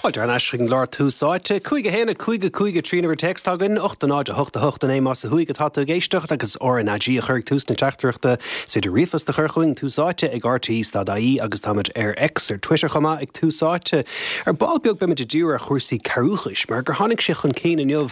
Fáilte thar n-ais chuig an gclár Tús Áite. 5 1 5 5 3 an uimhir téacs atá againn, 8 0 8 8 9 más ó thuaidh atá tú ag éisteacht agus RnaG a chur ag tús na teachtaireachta. Is féidir ríomhphost a chur chugainn, Tús Áite ag rte.ie agus táimid ar X, ar Twitter chomh maith, ag Tús Áite. Ar ball beag beimid ag díriú ar chúrsaí cearrbhachais mar gur tháinig sé chun cinn inniu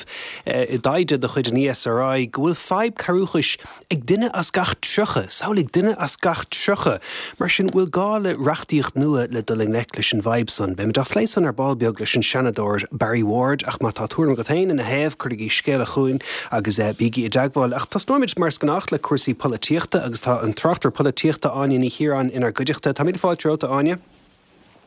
i dtaighde de chuid an ESRI go bhfuil fadhb cearrbhachais ag duine as gach 30, samhlaigh, duine as gach 30! Mar sin, bhfuil gá le reachtaíocht nua le dul i ngleic leis an bhfadhb san? Beimid á phlé san ar ball beag leis an Seanadóir Barry Ward, ach má tá tuairim agat féin ina thaobh, cuirigí scéala chugainn agus bígí i dteagmháil. Ach tosnóimid, mar is gnách, le cúrsaí polaitíochta agus tá an tráchtaire polaitíochta Áine Ní Chiaráin inár gcuideachta. Tá míle fáilte romhat, a Áine.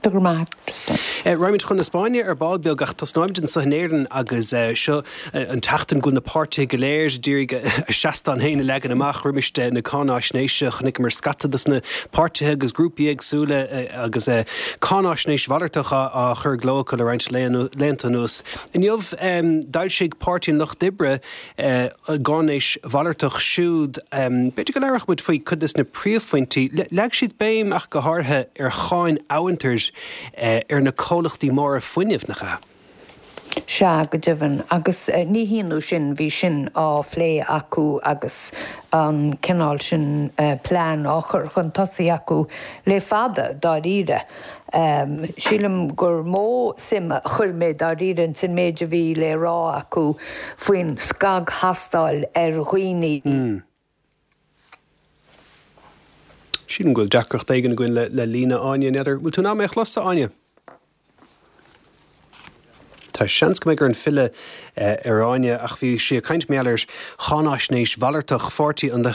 Go raibh maith agat, Tristan. Raghaimid chun na Spáinne ar ball beag ach tosnóimid anseo in Éirinn agus seo an tseachtain go bhfuil na páirtithe go léir ag iarraidh a seastán féin a leagan amach roimis na cáináisnéise. Chonaiceamar scata dos na páirtithe agus grúpaí éagsúla agus cáináisnéis mhalartach á chur i gcló acu le roinnt laethanta anuas. Inniu d'fhoilsigh Páirtí an Lucht Oibre a gcáináisnéis mhalartach siúd. B'fhéidir go labhródh muid faoi cuid de na príomhphointí. Leag siad béim ach go háirithe ar cháin amhantair ar na comhlachtaí móra fuinnimh, nach ea? Sea, go deimhin. Agus ní hionadh sin, bhí sin á phlé acu agus an cineál sin plean á chur chun tosaigh acu le fada, dáiríre. Sílim gur mó suim a chuir mé dáiríre ins an méid a bhí le rá acu faoin scagthástáil ar dhaoine. Sílim go bhfuil deacracht éigin againn le líne Áine, n'fheadar, bhfuil tú in ann mé a chlos, a Áine? Tá seans go mbeidh orainn filleadh ar Áine ach bhí sí ag caint mar gheall ar cháináisnéis mhalartach Pháirtí an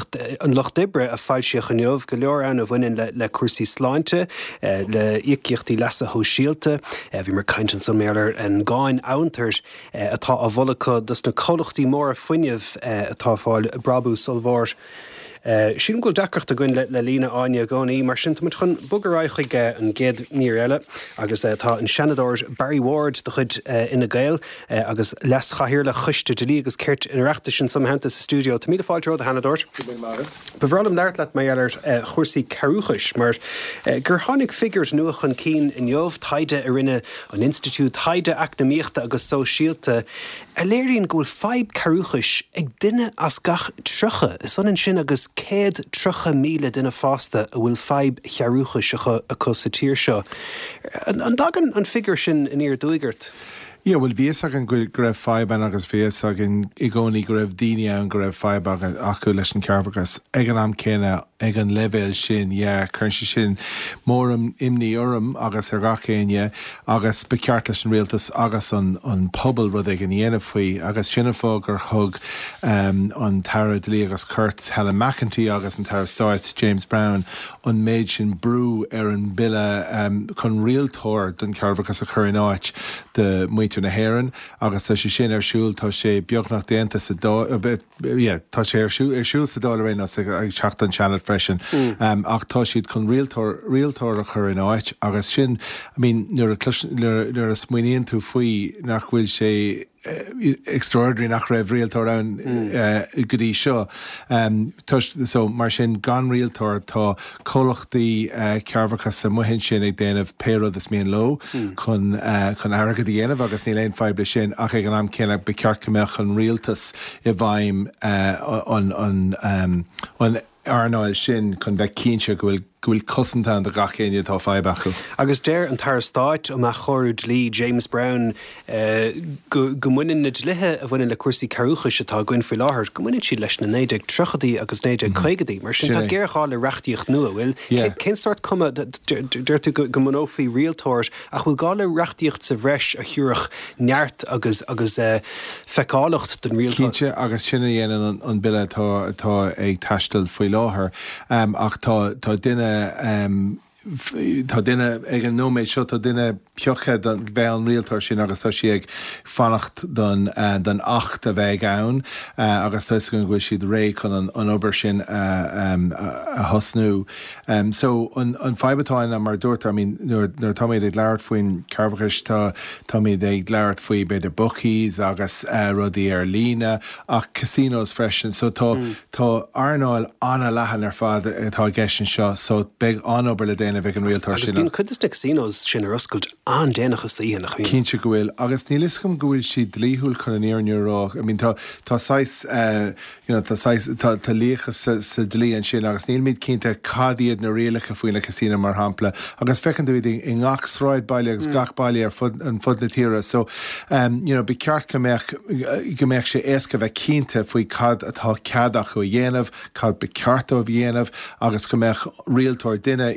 Lucht Oibre a foilsíodh inniu, go leor ann a bhaineann le cúrsaí sláinte, le íocaíochtaí leasa shóisialta. Bhíomar ag caint ansan mar gheall ar an gcáin amhantair atá á mholadh acu dos na comhlachtaí móra fuinnimh atá ag fáil brabús ollmhór. Sílim go bhfuil deacracht againn le líne Áine i gcónaí, mar sin tá muid chun bogadh ar aghaidh chuig an gcéad mhír eile agus tá an Seanadóir Barry Ward de chuid Fhine Gael agus Leas-Chathaoirleach Choiste Dlí agus Cirt an Oireachtais anso i mo theannta sa stiúideo. Tá míle fáilte romhat, a Sheanadóir. Go raibh maith agat. Ba bhreá liom labhairt leat mar gheall ar chúrsaí cearrbhachais mar gur tháinig figiúir nua chun cinn inniu, taighde a rinne an Institiúid Taighde Eacnamaíochta agus Sóisialta, a léiríonn go bhfuil fadhb cearrbhachais ag duine as gach 30, is ionann sin agus 130,000 duine fásta a bhfuil fadhb chearrbhachais acu sa tír seo. An dtagann an figiúr sin aniar aduaidh ort? Yeah, bhuel bhí fhios againn go raibh fadhb ann agus bhí fhios againn i gcónaí go raibh daoine ann go raibh fadhb acu leis an chearrbhachas. Ag an am céanna, ag an leibhéal sin, yeah, cuireann sé sin mór-imní orm agus ar gach éinne. agus ba cheart leis an rialtas agus an pobal rud éigin a dhéanamh faoi agus sin an fáth gur thug an tAire Dlí agus Cirt Helen McEntee agus an tAire Stáit James Browne an méid sin brú ar an bhille chun rialtóir don chearrbhachas a chur in áit do mhuintir na hÉireann agus tá sé sin ar siúl, tá sé beagnach déanta sa Dáil. yeah, tá sé ar siúl, ar siúl sa Dáil ar aon nós, ag teacht don Seanad freisin. Ach tá siad chun rialtóir, rialtóir a chur in áit agus sin, I mean, nuair a chlois, nuair a, nuair a smaoiníonn tú faoi nach bhfuil sé extraordinary nach raibh rialtóir ann go dtí seo. Toisc, so, mar sin, gan rialtóir tá comhlachtaí cearrbhachais amuigh ansin ag déanamh pé rud is mian leo chun chun airgead a dhéanamh agus níl aon fadhb leis sin ach ag an am céanna ba cheart go mbeadh an rialtas i bhfeidhm an an an earnáil sin chun bheith cinnte go bhfuil go bhfuil cosaint ann do gach éinne atá fadhb acu. Agus deir an tAire Stáit um Athchóiriú Dlí James Browne go go mbaineann na dlíthe a bhaineann le cúrsaí cearrbhachais atá againn faoi láthair, go mbaineann siad leis na 1930idí agus 1950idí. Mar sin, tá géarghá le reachtaíocht nua, bhfuil? Cén sórt cuma, deir tú go mbunófaí rialtóir, ach bhfuil gá le reachtaíocht sa bhreis a thabharfadh neart agus agus feiceálacht don rialtóir? Cinnte, agus sin a dhéanann an bille atá atá ag taisteal faoi láthair. Ach tá tá duine Tá duine, ag an nóiméad seo, tá duine pioctha don bheith an rialtóir sin agus tá sí ag fanacht don don Acht a bheidh ann agus tá 'fhios againn go bhfuil siad réidh chun an an obair sin a a thosnú. So an an fadhb atá ann ná mar a dúirt tú, I mean nuair nuair atáimid ag labhairt faoin cearrbhachais tá táimid ag labhairt faoi b'fhéidir bookies agus rudaí ar líne ach casinos freisin so tá Tá earnáil an-leathan ar fad atá i gceist anseo so beidh an-obair le déanamh. déanamh ag an rialtóir sin. Agus bíonn cuid de na casinos sin ar oscailt an-déanach istoíche, nach mbíonn? Cinnte go bhfuil. Agus níl fhios agam go bhfuil siad dlíthiúil chun an fhírinne a rá. I mean tá tá saghas eh you know tá saghas tá tá líocha sa sa dlí ansin agus nílimid cinnte cad iad na rialacha faoi na casino mar shampla. Agus feiceann tú iad i i ngach sráidbhaile agus gach baile ar fud an fud na tíre. So em you know ba cheart go mbeadh go mbeadh sé éasca bheith cinnte faoi cad atá cead acu a dhéanamh cad ba cheart dóibh a dhéanamh agus go mbeadh rialtóir, duine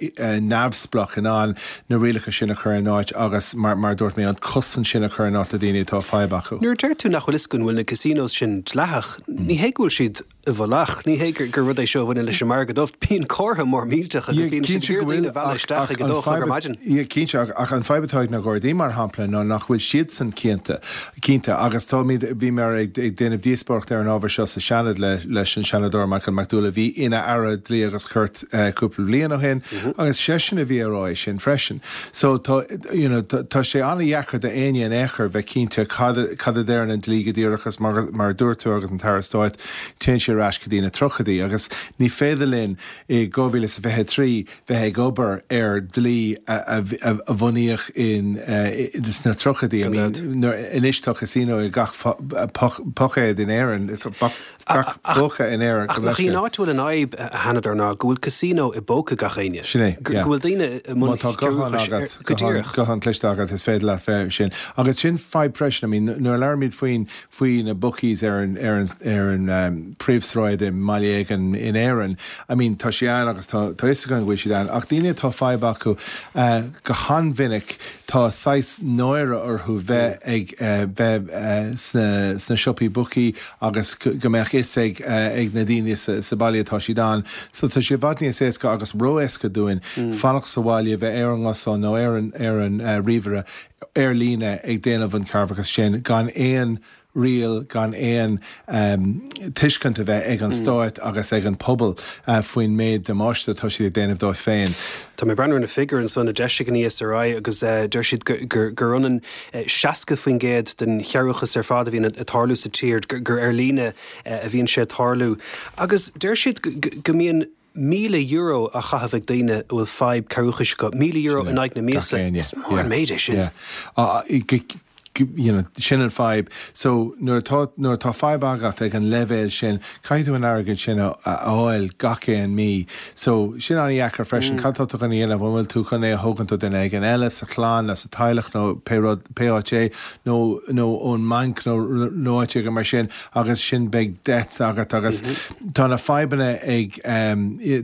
neamhspleách in ann na rialacha sin a chur in áit agus, mar a dúirt mé, an cosaint sin a chur in áit do dhaoine atá fadhb acu. Nuair a deir tú nach bhfuil fhios againn an bhfuil na casinos sin dleathach, ní hé go bhfuil siad i bhfolach, ní hé gur rud é seo a bhaineann leis an margadh dubh, bíonn comhartha mór millteach agus bíonn siad ag iarraidh daoine a mhealladh isteach ag a dó a chlog ar maidin. Yeah, cinnte, ach an fadhb atá ag na Gardaí, mar shampla, ná nach bhfuil siadsan cinnte. Cinnte, agus táimid, bhíomar ag déanamh díospóireacht ar an ábhar seo sa Seanad leis an Seanadóir Michael McDowell a bhí ina Aire Dlí agus Cirt cúpla bliain ó shin agus seisean a bhí ag rá é sin freisin. So tá, you know, tá sé an-dheacair do éinne in aon chor bheith cinnte cad, cad a deireann an dlí go díreach agus mar, mar a dúirt tú agus an tAire Stáit, téann sé ar ais go dtí na tríochaidí agus ní féidir linn i 2023 bheith ag obair ar dlí a bunaíodh sna tríochaidí. I mean, anois tá casino i gach pocaod in Éirinn, gach phóca in Éirinn. Ach nach í an áit a bhfuil an fhadhb, a Sheanadóir, ná go bhfuil casino i bpóca gach éinne. Sin é, yeah. Go bhfuil daoine i mbun Má tá guthán agat, go díreach. guthán cliste agat, is féidir leat bheith sin. Agus sin fadhb freisin, I mean, nuair a labhraímid faoin faoi na bookies ar an ar an ar an príomhshráid i mbaile éigin in Éirinn. I mean tá sé ann agus tá tá fhios againn go bhfuil siad ann ach daoine atá fadhb acu go han-mhinic tá saghas náire orthu bheith ag bheith sna sna siopaí bookie agus go mbeadh fhios ag ag na daoine sa sa baile atá siad ann. So tá sé i bhfad níos éasca agus ró-éasca dúinn fanacht sa bhaile bheith ar an nguthán nó ar an ar an ríomhaire ar líne ag déanamh an cearrbhachas sin gan aon riail, gan aon tuiscint a bheith ag an stáit agus ag an pobal faoin méid damáiste atá siad ag déanamh dóibh féin. Tá mé ag breathnú ar na figiúir ansan a d'eisigh an ESRI agus deir siad gur ionann 60% den chearrbhachas ar fad a bhíonn ag tarlú sa tír, gur ar líne a bhíonn sé ag tarlú. Agus deir siad go mbíonn €1,000 á chaitheamh ag daoine a bhfuil fadhb cearrbhachais acu, €1,000 in aghaidh na míosa. Is mór an méid é sin. You know, sin an fadhb. So nuair atá, nuair atá fadhb agat ag an leibhéal sin, caithfidh tú an airgead sin a fháil gach aon mí. So sin an-dheacair freisin. Cad tá tú chun a dhéanamh? An bhfuil tú chun é a thógaint ó duine éigin eile sa chlann nó sa teaghlach nó pé rud, pé áit é, nó, nó ón mbanc nó, nó áit éigin mar sin agus sin beidh debts agat agus Tá na fadhbanna ag,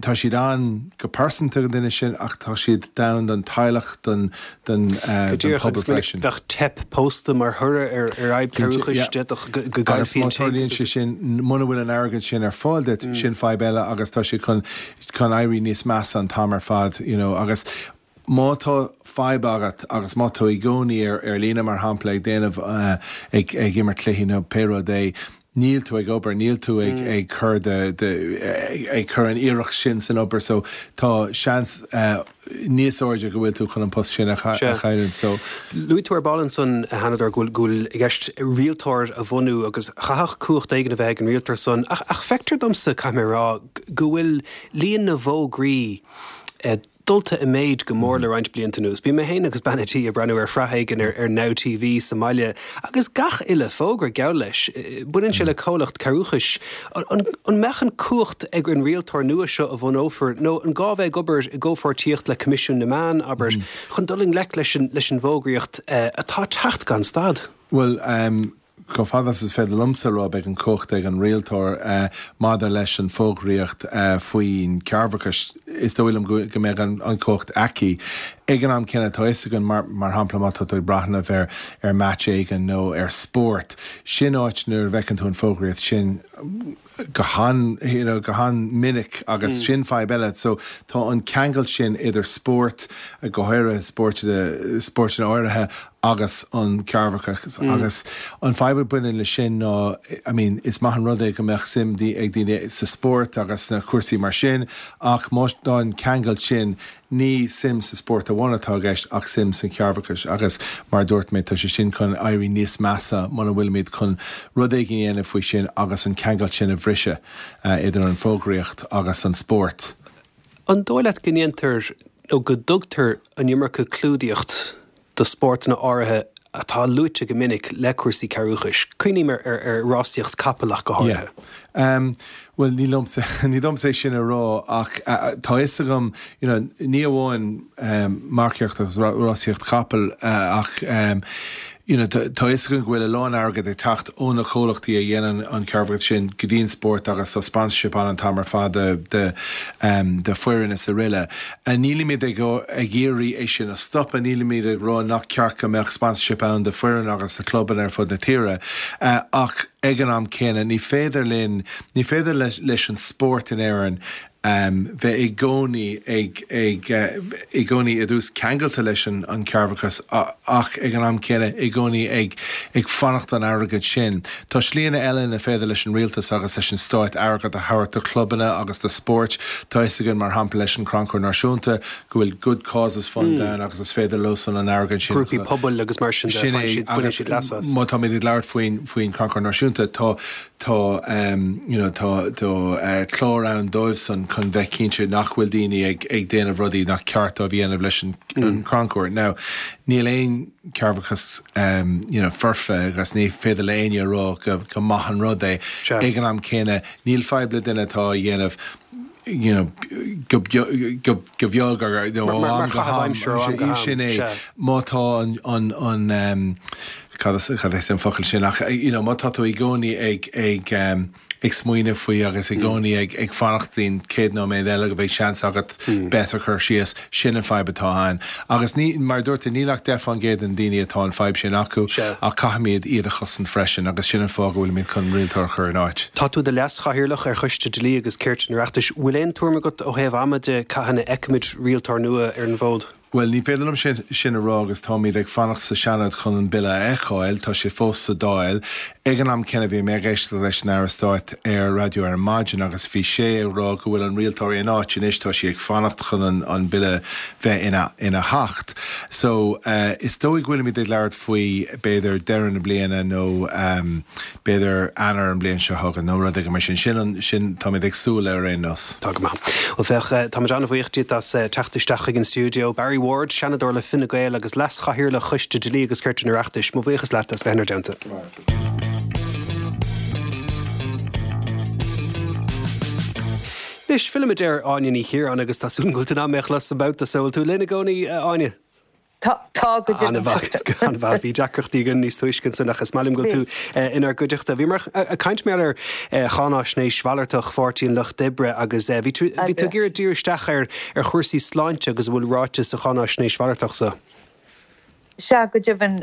tá siad ann go pearsanta don duine sin ach tá siad ann don teaghlach, don don pobal freisin. Bheadh teip pósta mar thoradh ar fhadhb cearrbhachais, d'fhéadfadh go gcaillfí an tigh. Agus má tarlaíonn sé sin, muna bhfuil an airgead sin ar fáil duit, sin fadhb eile agus tá sé chun chun éirí níos measa an t-am ar fad, you know, agus má tá fadhb agat agus má tá tú i gcónaí ar ar líne mar shampla ag déanamh ag ag imirt cluichí nó pé rud é, níl tú ag obair, níl tú ag ag cur de de ag cur an iarracht sin san obair so tá seans níos airde go bhfuil tú chun an post sin a chailliúint so. Luaigh tú ar ball ansan, a Sheanadóir, go bhfuil go bhfuil i gceist rialtóir a bhunú agus chaithfeadh cumhacht éigin a bheith ag an rialtóir san ach ach feictear domsa, caithfidh mé a rá, go bhfuil líon na bhfógraí dulta i méid go mór le roinnt blianta anuas. Bíonn mé féin agus bean a' tí ag breathnú ar shraith éigin ar Now TV sa mbaile agus gach uile fógra, geall leis, baineann sé le comhlacht cearrbhachais. An mbeadh an cumhacht ag an rialtóir nua seo a bhunófar nó an gá bheith ag obair i gcomhpháirtíocht le Coimisiún na Meán, abair, chun dul i ngleic leis an bhfógraíocht atá ag teacht gan stad? Bhuel, Chomh fada is is féidir liomsa a rá, beidh an chumhacht ag an rialtóir maidir leis an bhfógraíocht faoin chearrbhachas. Is dóigh liom go mbeidh an chumhacht aici. Ag an am céanna, tá fhios againn, mar shampla, má tá tú ag breathnú ar ar match éigin nó ar spórt, sin áit nuair a bhfeiceann tú an fógraíocht sin go han, you know, go han-mhinic agus sin fadhb eile. So tá an ceangal sin idir spórt, go háirithe spóirt, spóirteanna áirithe agus an cearrbhachas agus an fadhb a bhaineann leis sin ná, I mean, is maith an rud é go mbeadh suim ag daoine sa spórt agus sna cúrsaí mar sin ach má tá an ceangal sin, ní suim sa spórt amháin atá i gceist ach suim san chearrbhachas agus mar a dúirt mé tá sé sin chun éirí níos measa muna bhfuilimid chun rud éigin a dhéanamh faoi sin agus an ceangal sin a bhriseadh idir an fógraíocht agus an spórt. An dóigh leat go ndéantar. nó go dtugtar an iomarca clúdaíocht do spórtanna áirithe atá luaite go minic le cúrsaí cearrbhachais. Cuimhním ar ar rásaíocht capall ach go háirithe. Yeah. Bhuel, ní liomsa, ní domsa é sin a rá ach tá fhios agam, you know, ní amháin marcaíocht agus rásaíocht capall ach you know, tá fhios againn go bhfuil a lán airgead ag teacht ó na comhlachtaí a dhéanann an cearrbhachas sin go dtí an spórt agus tá sponsorship ann an t-am ar fad de, de, de foireann is aroile. Nílimid ag ag iarraidh é sin a stopadh, nílimid ag rá nach ceart go mbeadh sponsorship ann do foireann agus do chlubanna ar fud na tíre ach ag an am céanna ní féidir linn, ní féidir leis an spórt in Éirinn bheith i gcónaí ag, ag, i gcónaí i dtús ceangailte leis an an cearrbhachas ach ag an am céanna i gcónaí ag, ag fanacht don airgead sin. Tá slíanna eile ina féidir leis an rialtas agus leis an stáit airgead a thabhairt do chlubanna agus do spóirt. Tá fhios againn mar shampla leis an Crannchur Náisiúnta go bhfuil Good Causes Fund ann agus is féidir leosan an airgead sin a. Grúpaí pobail agus mar sin de, faigheann siad, baineann siad leas as. Má táimid ag labhairt faoin, faoin Crannchur Náisiúnta tá, tá you know tá, tá clár ann dóibhsan chun bheith cinnte nach bhfuil daoine ag, ag déanamh rudaí nach ceart dóibh a dhéanamh leis an, an crannchur. Now níl aon cearrbhachas you know foirfe agus ní féidir le éinne a rá go, go maith an rud é. Ag an am céanna níl fadhb le duine atá á dhéanamh you know go, go, go beag or you know ó am go ham. Sin é. Má tá an, an, an cad is, cad is an focal sin ach you know má tá tú i gcónaí ag, ag, ag smaoineamh faoi agus i gcónaí ag, ag fanacht don chéad nóiméad eile go mbeidh seans agat bet a chur síos, sin an fadhb atá ann. Agus ní, mar a dúirt tú, níl ach 10% de na daoine atá an fadhb sin acu ach caithfimid iad a chosaint freisin agus sin an fáth go bhfuilimid chun rialtóir a chur in áit. Tá tú i do leas-chathaoirleach ar Choiste Dlí agus Cirt an Oireachtais. Bhfuil aon tuairim agat ó thaobh ama de cathain a fheicfimid rialtóir nua ar an bhfód? Bhuel, ní féidir liom sin a rá agus táimid ag fanacht sa Seanad chun an Bille a fheiceáil. Tá sé fós sa Dáil. Ag an am céanna bhí mé ag éisteacht leis an Aire Stáit ar raidió ar maidin agus bhí sé ag rá go bhfuil an rialtóir in áit anois, tá sí ag fanacht chun an Bille bheith ina hAcht. So, is dóigh go bhfuilimid ag labhairt faoi b'fhéidir deireadh na bliana nó b'fhéidir Eanáir an bhliain seo chugainn nó rud éigin mar sin. Sin an, sin, táimid ag súil ar aon nós. Tá go maith. Bhuel féach, táimid an-bhuíoch díot as teacht isteach chuig an stiúideo. Barry Ward, Seanadóir le Fine Gael agus Leas-Chathaoirleach Choiste Dlí agus Cirt an Oireachtais, mo bhuíochas leat as bheith inár dteannta. Anois, fillimid ar Áine Ní Chiaráin agus tá súil agam go bhfuil tú in ann mé a chlos an babhta so. Bhfuil tú linn i gcónaí, a Áine? Tá, tá, go deimhin. An-mhaith, an-mhaith. Bhí deacrachtaí againn níos túisce ansin ach is maith liom go bhfuil tú inár gcuideachta. Bhíomar ag caint mar gheall ar cháináisnéis mhalartach Pháirtí an Lucht Oibre agus bhí tú bhí tú ag iarraidh díriú isteach ar ar chúrsaí sláinte agus a bhfuil ráite sa cháináisnéis mhalartach so. Sea, go deimhin,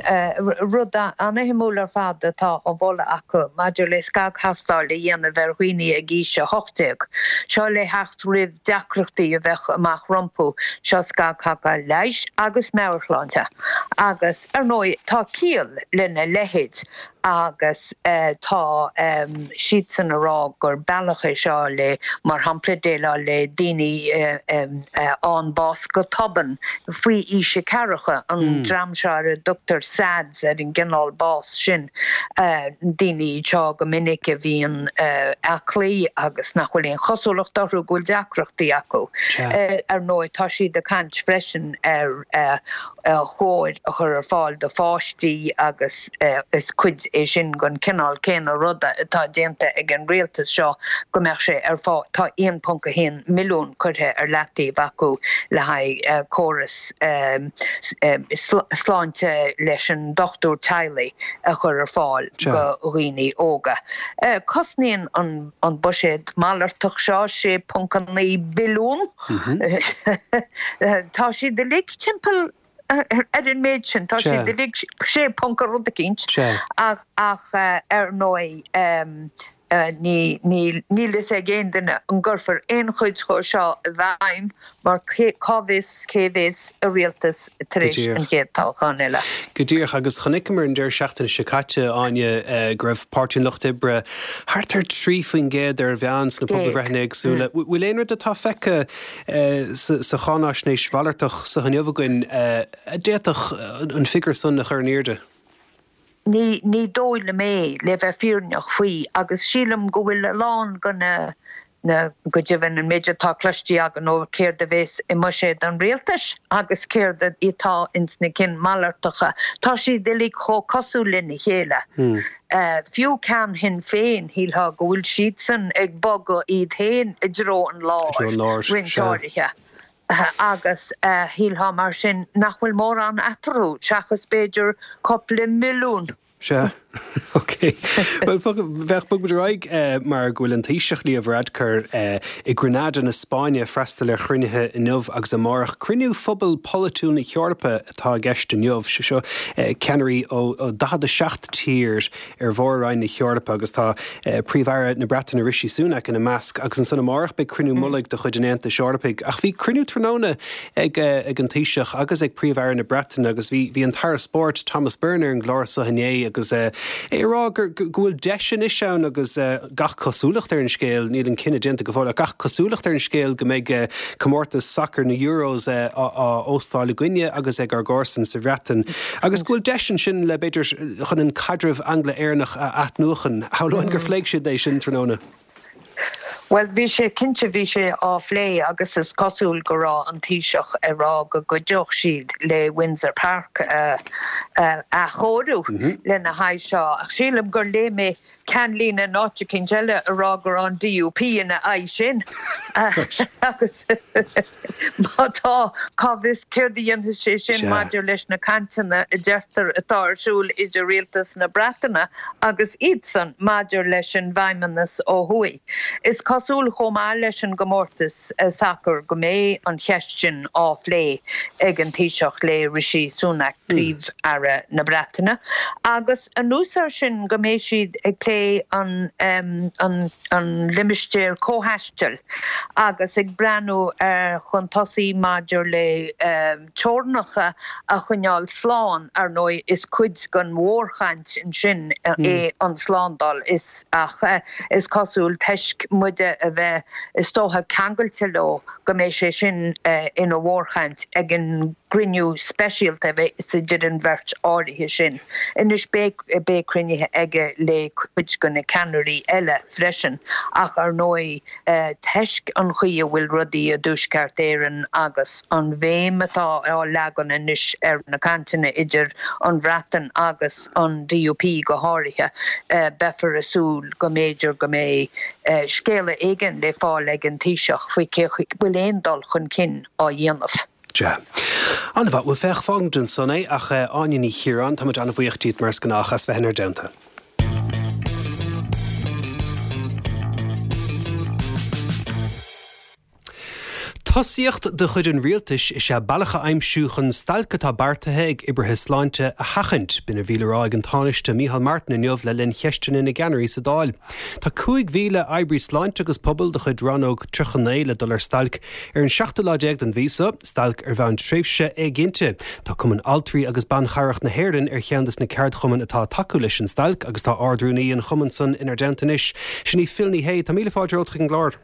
rud an-shuimiúil ar fad atá á mholadh acu maidir le scagthástáil a dhéanamh ar dhaoine ag aois 18. Seo le theacht roimh deacrachtaí a bheadh amach rompu, seo scagthástáil leighis agus meabhairshláinte. Agus, ar ndóigh, tá ciall lena leithéid agus tá siadsan a rá gur bealach é seo le, mar shampla, déileáil le daoine a fhaigheann bás go tobann faoi aois a ceathracha, an dream seo ar a dtugtar SADS ar an gcineál bás sin. Daoine iad seo go minic a bhíonn aclaí agus nach bhfuil aon chosúlacht orthu go bhfuil deacrachtaí acu. Ar ndóigh, tá siad ag caint freisin ar chóir a chur ar fáil do pháistí agus is cuid é sin den chineál céanna ruda atá déanta ag an rialtas seo go mbeadh sé ar fáil. Tá 1.1 milliún curtha ar leataobh acu le haghaidh córas sláinte leis an dochtúir teaghlaigh a chur ar fáil do dhaoine óga. Cosnaíonn an buiséad malartach seo 6.9 billiún. Tá siad uilig timpeall ar an méid sin, tá siad uilig sé ponc rud eicínt ach ar ndóigh Ní, níl, níl fhios ag aon duine an gcuirfear aon chuid dhó seo i bhfeidhm mar cá bhfios cé bhéas i rialtas tar éis an chéad toghchán eile. Go díreach, agus chonaiceamar an deireadh seachtaine seo caite, Áine, go raibh Páirtí an Lucht Oibre thart ar 3% ar an mheán sna pobalbhreitheanna éagsúla. Bhfuil aon rud atá feicthe sa cháináisnéis mhalartach so inniu againn a d'fhéadfadh an figiúr san a chur in airde? Ní, ní dóigh liom é, le bheith fírinneach faoi, agus sílim go bhfuil a lán de na, Na, go deimhin, an méid atá cloiste againn ó céard a bhéas i mbuiséad an rialtais agus céard atá ins na cinn malartacha, tá siad uilig chomh cosúil lena chéile. Fiú ceann Shinn Féin, shílfeá go bhfuil siadsan ag bogadh iad féin i dtreo an láir, roinnt áirithe, agus shílfeá mar sin nach bhfuil mórán eatarthu, seachas b'fhéidir cupla milliún. Sea. Ok. Bhuel, féach, bogfaimid ar aghaidh mar go bhfuil an Taoiseach Leo Varadkar i Granada na Spáinne ag freastal ar chruinnithe inniu agus amárach. Cruinniú Phobal Polaitiúil na hEorpa atá i gceist inniu. Sé seo ceannairí ó 47 tír ar mhór-roinn na hEorpa agus tá Príomh-Aire na Breataine Rishi Sunak ina measc. Agus ansan amárach beidh cruinniú mullaigh de chuid an Aontais Eorpaigh. Ach bhí cruinniú tráthnóna ag an Taoiseach agus ag Príomh-Aire na Breataine agus bhí bhí an tAire Spóirt Thomas Byrne ar an gclár seo inné agus é ag rá gur go bhfuil deis anois ann agus gach cosúlacht ar an scéal, níl an cinneadh déanta go fóill ach gach cosúlacht ar an scéal go mbeidh comórtas sacair na Euros á óstáil againne agus ag ár gcomharsain sa Bhreatain agus go bhfuil deis ansin le b'fhéidir chun an caidreamh Angla-Éireannach a athnuachan. Shamhlóinn gur phléigh siad é sin tráthnóna. Bhuel, bhí sé, cinnte, bhí sé á phlé agus is cosúil go raibh an Taoiseach ag rá go gcuideodh siad le Windsor Park a athchóiriú lena haghaidh seo. Ach sílim gur léigh mé ceannlíne in áit eicínt eile ag rá go raibh an DUP ina aghaidh sin. Agus má tá, cá bhfios céard a dhéanfas sé sin maidir leis na cainteanna a deirtear atá ar siúl idir rialtas na Breataine agus iadsan maidir leis an bhFeidhmeannas ó thuaidh. Is cosúil chomh maith leis an gcomórtas sacair go mbeidh an cheist sin á phlé ag an Taoiseach le Rishi Sunak, Príomh-Aire na Breataine, agus anuas air sin go mbeidh siad ag plé an an an limistéar comhthaistil agus ag breathnú ar chun tosaigh maidir le teorainneacha a choinneáil slán, ar ndóigh is cuid den mhórchaint ansin é an tslándáil is ach is cosúil toisc muide a bheith is dócha ceangailte leo go mbeidh sé sin ina mhórchaint ag an gcruinniú speisialta a bheas idir an bheirt áirithe sin. Anois beidh beidh cruinnithe aige le cuid de na ceannairí eile freisin ach ar ndóigh toisc an chaoi a bhfuil rudaí i dTuaisceart Éireann agus an bhéim atá á leagan anois ar na cainteanna idir an Bhreatain agus an DUP go háirithe beifear ag súil go mb'fhéidir go mbeidh scéala éigin le fáil ag an Taoiseach faoi cé chaoi bhfuil aon dul chun cinn á dhéanamh. Sea. An-mhaith. Bhuel, féach, fágfaimid ansan é, ach Áine Ní Chiaráin, táimid an-bhuíoch díot mar is gnách as bheith inár dteannta. Tosaíocht de chuid an rialtais is ea bealach a aimsiú chun stailc atá beartaithe ag oibrithe sláinte a sheachaint. B'in a bhí le rá ag an Tánaiste Micheál Martin inniu le linn cheisteanna na gceannairí sa Dáil. Tá 5,000 oibrí sláinte agus pobail de chuid Rannóg 39 le dul ar stailc Ar an seachtú lá déag den mhí seo, stailc ar bhonn tréimhse éiginnte. Tá Cumann Altraí agus Ban Chabhrach na hÉireann ar cheann des na ceardchumainn atá ag tacú leis an stailc agus tá Ard-Rúnaí an chumainn san inár dteannta anois. Sin í Phil Ní Sheaghdha. Tá míle fáilte romhat chuig an gclár.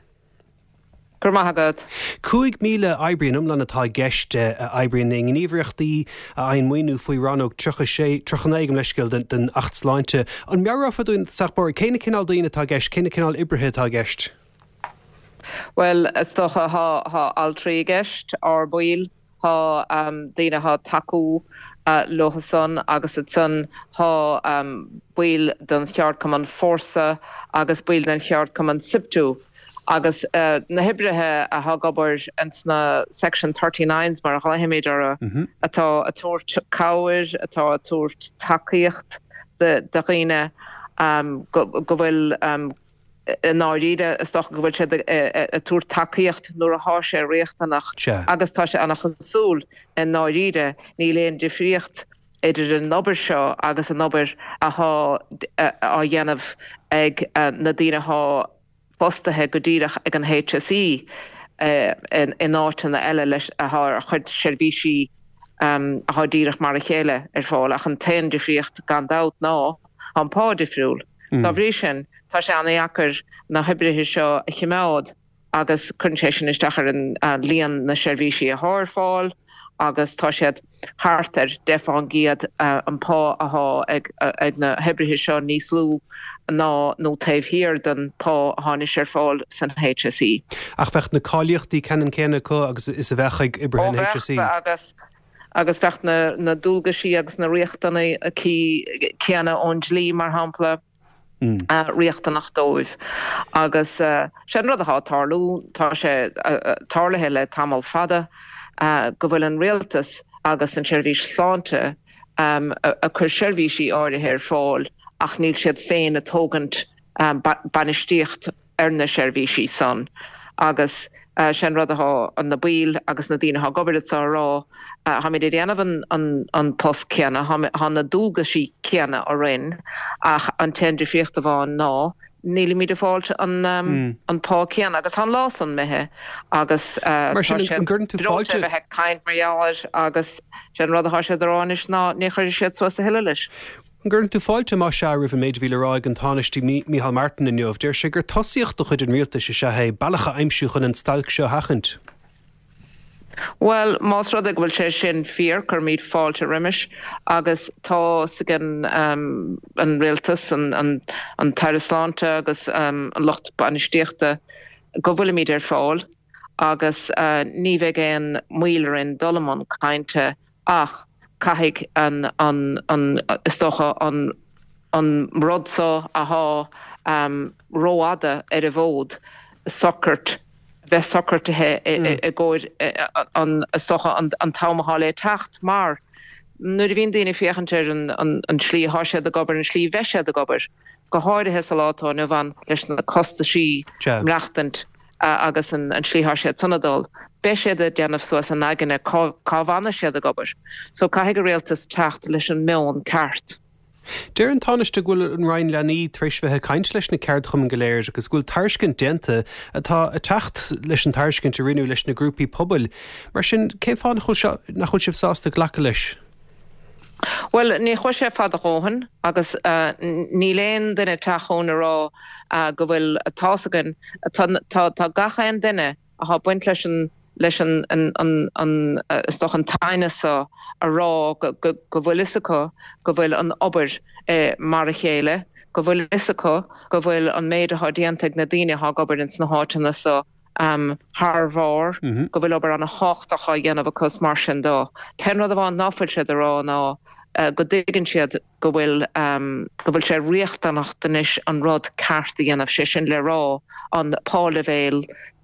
Go raibh maith agat. 5,000 oibrí in iomlán atá i gceist a oibríonn i ngníomhaireachtaí a fhaigheann maoiniú faoi Rannóg 36, 39 gabh mo leithscéal, den Acht Sláinte. An meabhrófá dúinn, sách cé na cineál daoine atá i gceist, cé na cineál oibrithe atá i gceist? Bhuel, is dócha, thá altraí i gceist, ár baill, thá daoine athá ag tacú leo san agus ansan thá baill den cheardchumann Fórsa agus baill den cheardchumann SIPTU agus na hoibrithe athá ag obair ins na Section Thirty-Nines mar a ghlaofaimid orthu, atá ag tabhairt cabhair, atá ag tabhairt tacaíocht do dhaoine go bhfuil I ndáiríre, is dócha go bhfuil siad ag tabhairt tacaíocht nuair athá sé riachtanach agus tá sé an-chosúil i ndáiríre, níl aon difríocht idir an obair seo agus an obair athá á dhéanamh ag na daoine athá fostaithe go díreach ag an HSE in áiteanna eile leis athá ag cur seirbhísí athá díreach mar a chéile ar fáil ach an t-aon difríocht gan dabht ná Tá an pá difriúil. Dá bhrí sin, tá sé an-dheacair na hoibrithe seo a chimeád agus cuireann sé sin isteach ar an líon na seirbhísí athá ar fáil agus tá siad thart ar 10 fán gcéad an pá athá ag na hoibrithe seo níos lú. ná nó taobh thiar den pá athá anois ar fáil san HSE. Ach bheadh na cáilíochtaí ceannann céanna acu agus is a bheadh ag oibrithe an HSE? Ó bheadh, agus agus bheadh na na dualgaisí agus na riachtanaisí céanna ón dlí, mar shampla, riachtanach dóibh. Agus sé an rud athá ag tarlú, tá sé tarlaithe le tamall fada, go bhfuil an rialtas agus an tSeirbhís Sláinte ag cur seirbhísí áirithe ar fáil ach níl siad féin ag tógaint bainistíocht ar na seirbhísí san agus sé an rud athá na baill agus na daoine athá ag obair anso a rá, tháimid ag déanamh an post céanna, thá na dualgaisí céanna orainn ach an t-aon difríocht amháin ná nílimid ag fáilt an pá céanna agus tá an lá san imithe agus tá siad breoite a bheith ag caint mar gheall air agus sé an rud atá siad a rá anois ná ní chuirfidh siad suas a thuilleadh leis. An gcuireann tú fáilte, más ea, roimh an méid a bhí le rá ag an Tánaiste Micheál Martin inniu? Deir sé gur tosaíocht de chuid an rialtais is ea é bealach a aimsiú chun an stailc seo a sheachaint. Bhuel, más rud é go bhfuil sé sin fíor, cuirimid fáilte roimis agus tá's ag an an Rialtas, an tAire Sláinte agus an lucht bainistíochta go bhfuilimid ar fáil agus ní bheidh aon mhoill orainn dul i mbun cainte ach caithfidh an, an, is dócha, an an rud so athá rófhada ar an bhfód socrat, bheith socraithe i gcomhair an, is dócha, an t-am athá le teacht mar nuair a bhíonn daoine ag féachaint ar an tslí athá siad ag obair, an tslí a bheidh siad ag obair, go háirithe sa lá atá inniu ann leis na costaisí maireachtaint agus an tslí athá siad san ag dul, beidh siad ag déanamh suas a n-aigne cá bhfanfaidh siad ag obair. So caithfidh an rialtas teacht leis an meon ceart. Deir an Tánaiste go bhfuil an Roinn Leanaí tar éis bheith ag caint leis na ceardchumainn go léir agus go bhfuil tairiscint déanta atá ag teacht leis an tairiscint a rinneadh leis na grúpaí pobail. Mar sin, cén fáth nach bhfuil nach bhfuil sibh sásta glacadh leis? Bhuel, ní chuaigh sé fada dhóthain agus níl aon duine ag teacht chugainn a rá go bhfuil tá's againn, tá gach aon duine athá ag baint leis an leis an an an is dócha an t-aighneas so a rá go go go bhfuil fhios acu go bhfuil an obair mar a chéile, go bhfuil fhios acu go bhfuil an méid athá déanta ag na daoine athá ag obair ins na háiteanna so thar bharr, go bhfuil obair ana thábhachtach á dhéanamh acu is mar sin dó. T-aon rud amháin ná fuil siad a rá ná go dtuigeann siad go bhfuil go bhfuil sé riachtanach anois an rud ceart a dhéanamh, sé sin le rá an páleibhéal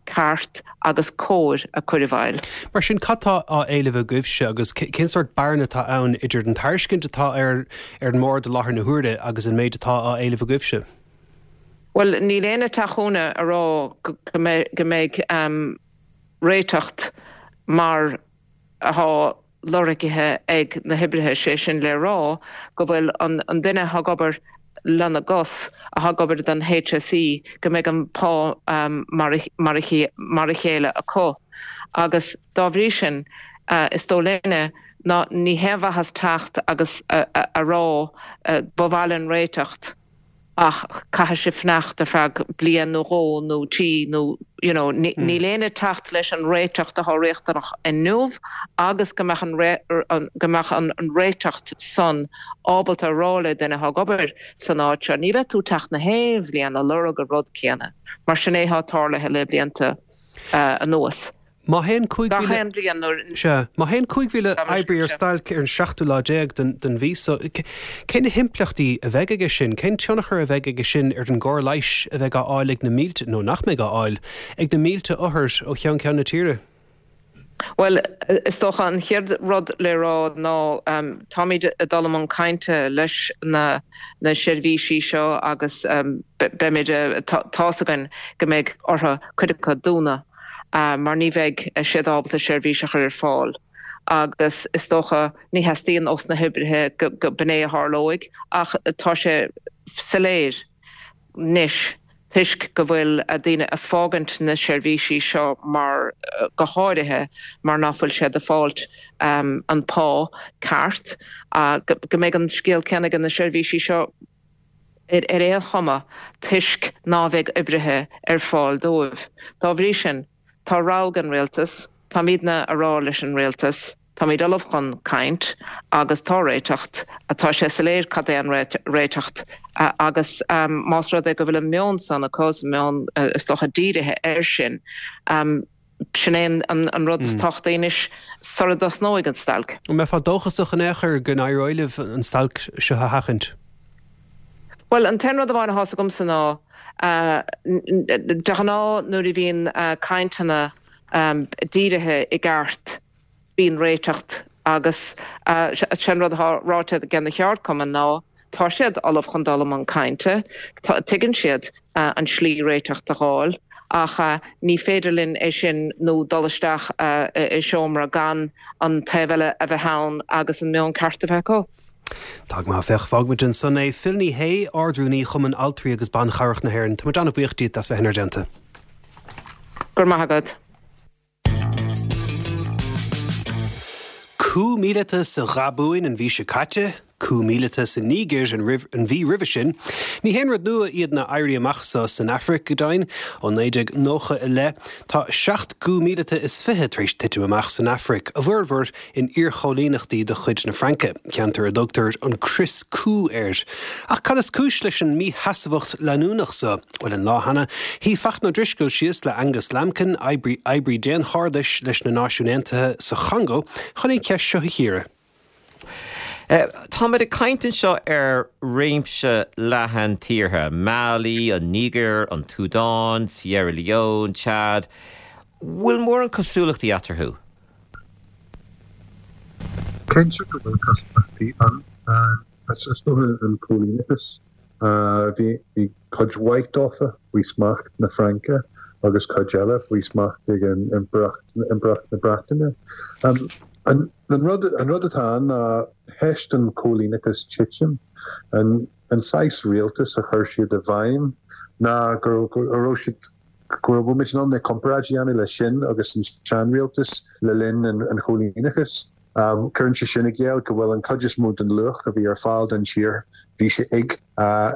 ceart agus cóir a chur i bhfeighil. Mar sin, cad tá á éileamh agaibhse agus cén sórt bearna atá ann idir an tairiscint atá ar ar an mbord i láthair na huaire agus an méid atá á éileamh agaibhse? Bhuel, níl éinne ag teacht chugainne a rá go mbeidh réiteacht mar athá lorgaithe ag na hoibrithe, sé sin le rá go bhfuil an duine athá ag obair lena gcos, athá ag obair don HSE, go mbeidh an pá mar a chéile acu. Agus dá bhrí sin, is dóigh linne ná ní haon mhaitheas teacht agus a rá ba mhaith linn réiteacht, ach caithfidh sibh fanacht ar feadh bliain nó dhó nó trí nó you know níl éinne ag teacht leis an réiteacht atá riachtanach inniu agus go mbeadh an go mbeadh an réiteacht san ábalta a rá le duine atá ag obair san áit seo ní bheidh tú ag teacht na haon bhliain ag lorg an rud céanna mar sin é atá tarlaithe le blianta anuas. Má théann 5,000. Gach aon bhliain nuair. Sea. Má théann 5,000 oibrí ar stailc ar an seachtú lá déag den mhí so, cé na himpleachtaí a bheidh aige sin? Cén tionchar a bheidh aige sin ar an gcóir leighis a bheidh á fháil ag na mílte, nó nach mbeidh á fháil, ag na mílte othar ó cheann ceann na tíre? Bhuel, is dócha an chéad rud le rá ná táimid ag dul i mbun cainte leis na seirbhísí seo agus beimid, tá's againn go mbeidh orthu cuid acu dúnadh. mar ní bheidh siad ábalta seirbhís a chur ar fáil agus is dócha ní theastaíonn ós na hoibrithe go b'in é a tharlóidh ach tá sé soiléir anois toisc go bhfuil daoine ag fágaint na seirbhísí seo mar go háirithe mar ná fuil siad ag fáilt an pá ceart go mbeidh an scéal céanna ag na seirbhísí seo ar aon chuma toisc ná bheidh oibrithe ar fáil dóibh. Dá bhrí sin, tá rogha ag an Rialtas, táimidne a rá leis an Rialtas. Táimid ullamh chun caint agus tá réiteacht, tá sé soiléir cad é an réiteacht agus más rud é go bhfuil an meon san acu, an meon is dócha dírithe air sin, sin é an rud is tábhachtaí anois sara dtosnóidh an stailc. An mbeifeá dóchasach in aon chor go n-éireoidh libh an stailc seo a sheachaint? Bhuel, an t-aon rud amháin atá's agamsa ná, de ghnáth nuair a bhíonn cainteanna dírithe i gceart, bíonn réiteacht agus sé an rud atá ráite ag na ceardchumainn ná tá siad ullamh chun dul i mbun cainte, tuigeann siad an slí réiteacht a dh'fháil ach ní féidir linn é sin nó dul isteach i seomra gan an taobh eile a bheith ann agus an meon ceart a bheith acu. Tá go maith, féach, fágfaimid ansan é. Phil Ní Sheaghdha, Ard-Rúnaí Chumann Altraí agus Ban Chabhrach na hÉireann, tá muid an-bhuíoch díot as bheith inár dteannta. Go raibh maith agat. Coup míleata sa Ghabúin an mhí seo caite, coup míleata sa Nígir an mhí roimhe sin. Ní haon rud nua iad na éirí amach so san Afraic, go deimhin. Ó 1990 i leith, tá seacht gcoup míleata is 20 tar éis titim amach san Afraic, a bhformhór in iarchoilíneachtaí de chuid na Fraince, ceantar a dtugtar an crios coup air. Ach cad is cúis leis an mísheasmhacht leanúnach so? Bhuel, an lá cheana, shuigh Fachtna Ó Drisceoil síos le Angus Lambkin, oibrí oibrí daonchairdis leis na Náisiúin Aontaithe sa Chongó, chun an cheist seo a chíoradh. Táimid ag caint anseo ar réimse leathan tíortha, Mali, an Nígir, an tSúdáin, Sierra Leone, Chad. Bhfuil mórán cosúlachtaí eatarthu? Cinnte go bhfuil cosúlachtaí ann. Is dócha an cóilíneachas. Bhí cuid mhaith dófa faoi smacht na Fraince agus cuid eile faoi smacht ag an Impireacht, Impireacht na Breataine. An rud, an rud atá ann ná théis don chóilíneachas titim, an saghas rialtas a chuir siad i bhfeidhm ná go raibh siad, go raibh muid in ann na comparáid a dhéanamh leis sin agus an seanrialtas le linn an chóilíneachais. Cuireann sé sin i gcéill go bhfuil an chuid is mó den luach a bhí ar fáil don tír, bhí sé ag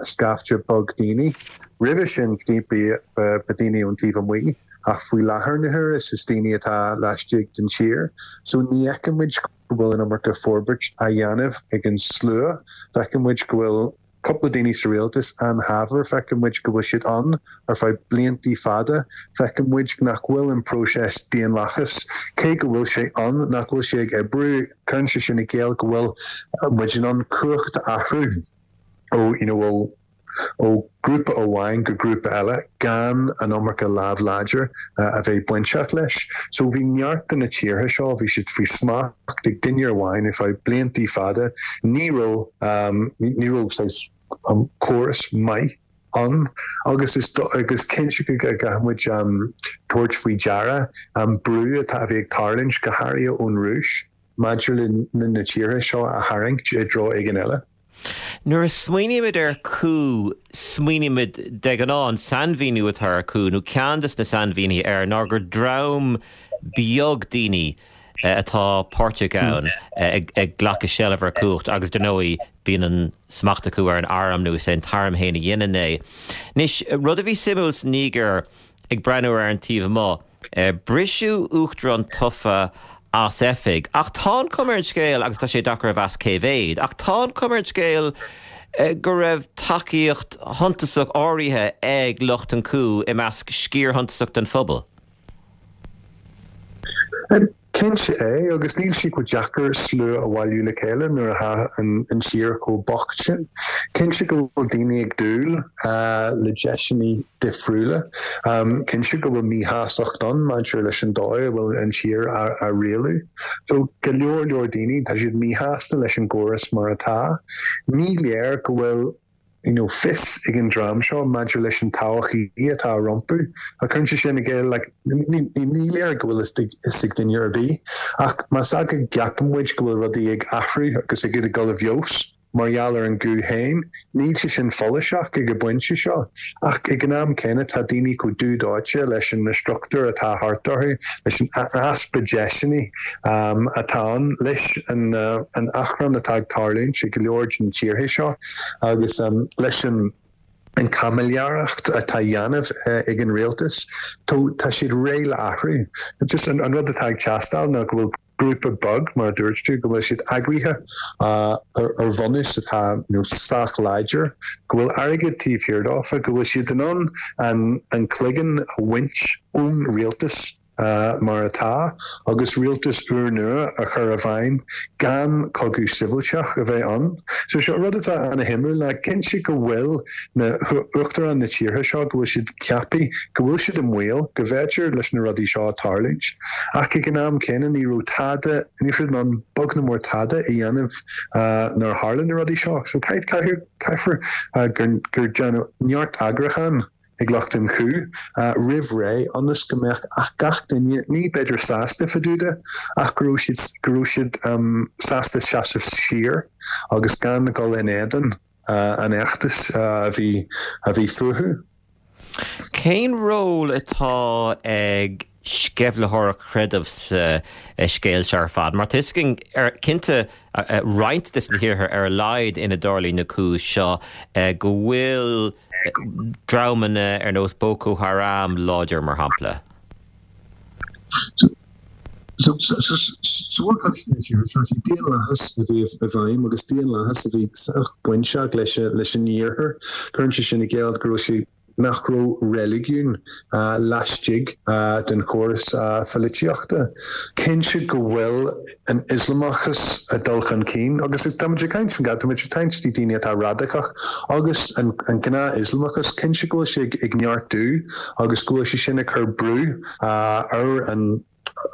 scaifte beag daoine. Roimhe sin ba daoine ón taobh amuigh ach faoi láthair na huaire is daoine atá laistigh den tír. So ní fheiceann muid go bhfuil an iomarca forbairt á dhéanamh ag an slua. Feiceann muid go bhfuil cúpla daoine sa rialtas an-shaibhir, feiceann muid go bhfuil siad ann ar feadh bliantaí fada, feiceann muid nach bhfuil an próiseas daonlathais, cé go bhfuil sé ann, nach bhfuil sé ag oibriú, cuireann sé sin i gcéill go bhfuil muid in ann cumhacht a athrú ó, you know, ó, ó grúpa amháin go grúpa eile gan an iomarca lámh láidir a bheith bainteach leis. So bhí neart de na tíortha seo, bhí siad faoi smacht ag duine amháin ar feadh bliantaí fada, ní raibh, ní raibh saghas córas maith ann agus is agus cinnte go gcaithfidh muid tabhairt faoi deara an brú atá a bhí ag tarlúint go háirithe ón Rúis maidir le na tíortha seo a tharraingt i dtreo éigin eile. Nuair a smaoinímid ar coup, smaoinímid de ghnáth, an sainmhíniú atá ar coup, nó ceann de na sainmhínithe air, ná gur dream beag daoine atá páirteach ann ag glacadh seilbh ar chumhacht agus, dar ndóigh, bíonn an smacht acu ar an arm nó is é an t-arm féin a dhéanann é. Anois, rud a bhí suimiúil sa Nígir, ag breathnú ar an taobh amuigh, Briseadh uachtarán tofa as oifig, ach tá an chuma ar an scéal, agus tá sé deacair a mheas cé mhéad, ach tá an chuma ar an scéal go raibh tacaíocht shuntasach áirithe ag lucht an coup i measc sciar shuntasach den phobal. Cinnte é, agus níl sé chomh deacair slua a bhailiú le chéile nuair atá an tír chomh bocht sin. Cinnte go bhfuil daoine ag dúil le deiseanna difriúla. Cinnte go bhfuil míshástacht ann maidir leis an dóigh a bhfuil an tír á rialú. So, go leor leor daoine, tá siad míshásta leis an gcóras mar atá. Ní léir go bhfuil you know fios ag an dream seo maidir leis an todhchaí atá rompu. Ach cuireann sé sin i gcéill like ní léir go bhfuil fhios ag duine ar bith. Ach más ea go gceapann muid go bhfuil rudaí ag athrú agus ag dul i bhfeabhas mar gheall ar an gcoup féin, níl sé sin follasach ag an bpointe seo. Ach ag an am céanna tá daoine chomh dubh dóite leis na struchtúir atá thart orthu, leis an easpa deiseanna atá ann, leis an achrann atá ag tarlúint i go leor de na tíortha seo. Agus leis an caimiléireacht atá á dhéanamh ag an rialtas, tá siad réidh le athrú. Just an rud atá ag teastáil ná go bhfuil. Grúpa beag, mar a dúirt tú, go bhfuil siad eagraithe ar bhunús atá sách láidir, go bhfuil airgead taobh thiar dófa, go bhfuil siad in ann an cloigeann a bhaint ón rialtas mar atá agus rialtas úrnua a chur i bhfeidhm gan cogadh sibhialtach a bheith ann. So seo rud atá ana-shuimiúil ná cinnte go bhfuil na huachtaráin na tíortha seo, go bhfuil siad ceaptha, go bhfuil siad i mbaol, go bhféidir leis na rudaí seo tarlúint. Ach ag an am céanna ní raibh tada, ní raibh siad in ann beag ná mór tada a dhéanamh nuair a tharla na rudaí seo. So caithfear gur déanadh neart eagrúchán ag lucht an coup roimh ré ionas go mbeadh gach duine, ní b'fhéidir sásta fá dtaobh de, ach go raibh siad, go raibh siad sásta seasamh siar agus gan dul in éadan an fheachtais a bhí a bhí fúthu. Cén ról atá ag sceimhlitheoireacht chreidimh sa scéal seo ar fad? Mar tá fhios againn cinnte roinnt de na thíortha ar a laghad ina dtarlaíonn na coups seo go bhfuil dreamanna ar nós Boko Haram láidir mar shampla. Sa mhórchuid de na tíortha seo, is é daonlathas a bhí i bhfeidhm agus daonlathas a bhí sách bainteach leis an iarthar. Cuireann sé sin i gcéill go raibh sé nach raibh reiligiún laistigh den chóras pholaitíochta. Cinnte go bhfuil an Ioslamachas ag dul chun cinn agus táimid ag caint, táimid ag caint faoi daoine atá radacach agus an gnáth-Ioslamachas, cinnte go bhfuil sé ag neartú agus go bhfuil sé sin ag cur brú ar an